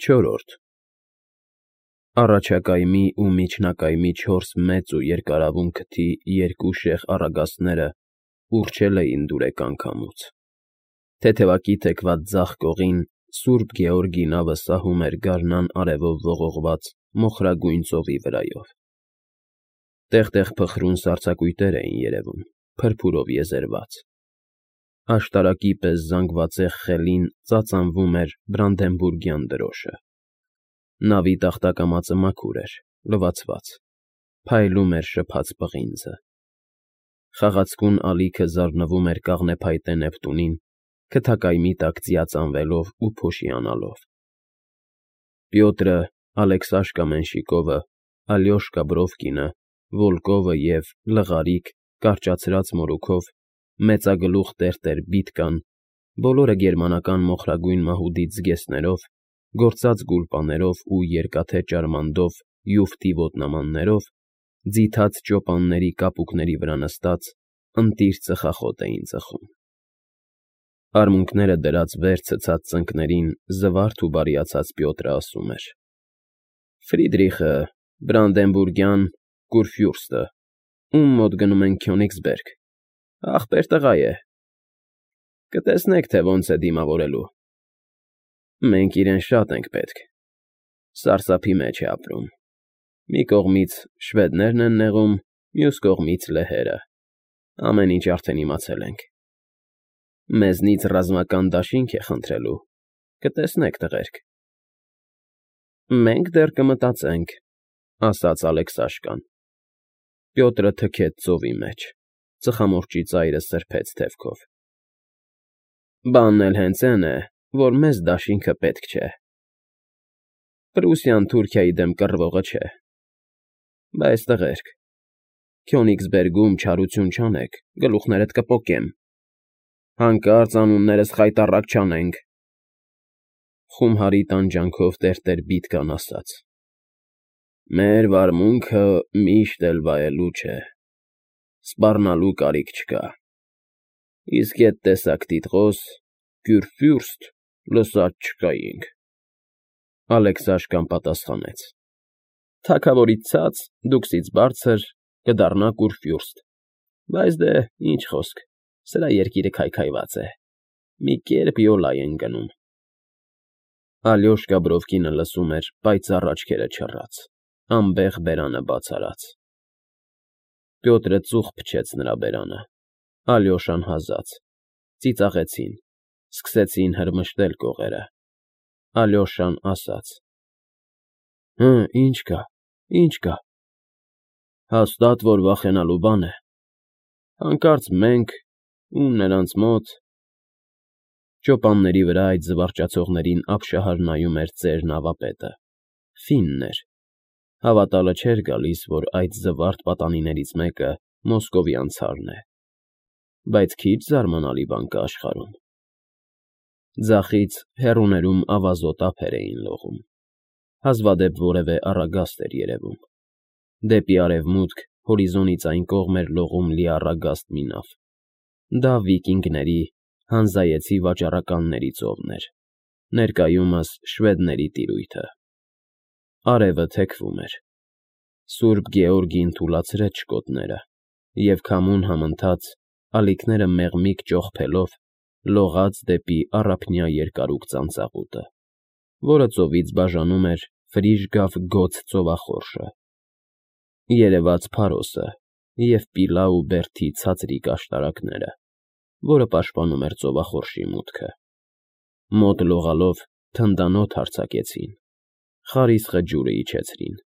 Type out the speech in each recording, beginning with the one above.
Չորրորդ Առաջակայմի ու միջնակայմի 4 մեծ ու երկարավուն քթի երկու շեղ առագաստները ուռչել էին դուրեկան քամուց, թեթևակի թեքված ձախ կողին Սուրբ Գեորգի նավը սահում էր գարնան արևով ողողված մոխրագույն ծովի վրայով, տեղ֊տեղ փխրուն սառցակույտեր էին երևում, փրփուրով եզերված, աշտարակի պես զանգվածեղ խելին ծածանվում էր բրանդենբուրգյան դրոշը, նավի տախտակամածը մաքուր էր, լվացված, փայլում էր շփած պղինձը, խաղացկուն ալիքը զարնվում էր կաղնեփայտե Նեպտունին, քթակայմի տակ ծիածանվելով ու փոշիանալով, Պյոտրը, Ալեքսաշկա Մենշիկովը, Ալյոշկա Բրովկինը, Վոլկովը և լղարիկ, կարճացրած մորուքով, մեծագլուխ տերտեր Բիտկան, բոլորը գերմանական մոխրագույն մահուդից զգեստներով, գործած գուլպաներով ու երկաթե ճարմանդով յուֆթի ոտնամաններով, ձիթած ճոպանների կապուկների վրա նստած, ընտիր ծխախոտ էին ծխում։ Արմունկները դրած վեր ցցած ծնկներին զվարթ ու բարիացած Պյոտրը ասում էր. Ֆրիդրիխը, Բրանդենբուրգյան Կուրֆյուրստը, ում մոտ գնում են Քյոնիգսբերգ, ախպեր տղա է, կտեսնեք, թե ոնց է դիմավորելու։ Մենք իրեն շատ ենք պետք, սարսափի մեջ է ապրում, մի կողմից շվեդներն են նեղում, մյուս կողմից լեհերը, ամեն ինչ արդեն իմացել ենք։ Մեզնից ռազմական դաշինք է խնդրելու, կտեսնեք, տղերք։ Մենք դեռ կմտածենք, ասաց Ալեքսաշկան։ Պյոտրը թքեց ծովի մեջ, ծխամորճի ծայրը սրբեց թևքով։ Բանն էլ հենց էն է, որ մեզ դաշինքը պետք չէ։ Պրուսիան Թուրքիայի դեմ կռվողը չէ։ Բայց տղերք, Քյոնիգսբերգում չարություն չանեք, գլուխներդ կպոկեմ։ Հանկարծ անուններս խայտառակ չանենք։ Խումհարի տանջանքով տերտեր Բիտկան ասաց. Մեր վարմունքը միշտ էլ վայելու չէ, սպառնալու կարիք չկա։ Իսկ էդ տեսակ տիտղոս, Կյուրֆյուրստ, լսած չկայինք։ Ալեքսաշկան պատասխանեց. Թագավորից ցած, դուքսից բարձր, կդառնա Կուրֆյուրստ, բայց դե, ինչ խոսք, սրա երկիրը քայքայված է, մի կերպ յոլա են գնում։ Ալյոշկա Բրովկինը լսում էր պայծառ աչքերը չռած, անբեղ բերանը բաց արած։ Պյոտրը ծուխ փչեց նրա բերանը, Ալյոշան հազաց, ծիծաղեցին, սկսեցին հրմշտել կողերը։ Ալյոշան ասաց. Ինչ կա։ Հաստատ որ վախենալու բան է։ Հանկարծ մենք ու նրանց մոտ… Ճոպանների վրա այդ զվարճացողներին ապշահար նայում էր ծեր նավապետը, ֆինն էր, հավատալը չէր գալիս, որ այդ զվարթ պատանիներից մեկը մոսկովյան ցարն է, բայց քիչ զարմանալի բան կա աշխարհում։ Ձախից հեռուներում ավազոտ ափեր էին լողում, հազվադեպ որևէ առագաստ էր երևում, դեպի արևմուտք հորիզոնից այն կողմ էր լողում լիառագաստ մի նավ, դա վիկինգների, հանզայեցի վաճառականների ծովն էր, ներկայումս շվեդների տիրույթը։ Արևը թեքվում էր, Սուրբ Գեորգին թուլացրեց շկոտները, և քամուն համընթաց, ալիքները մեղմիկ ճոխփելով, լողաց դեպի առափնյա երկարուկ ծանծաղուտը, որը ծովից բաժանում էր Ֆրիժգաֆ Գոց ծովախորշը, երևաց Փարոսը և Պիլա ու Բերթի ցածրիկ աշտարակները, որը պաշտպանում էր ծովախորշի մուտքը։ Մոտ լողալով թնդանոթ հարձակեցին, խարիսխը ջուրը իջեցրին,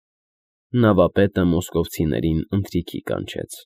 նավապետը մոսկովցիներին ընթրիքի կանչեց։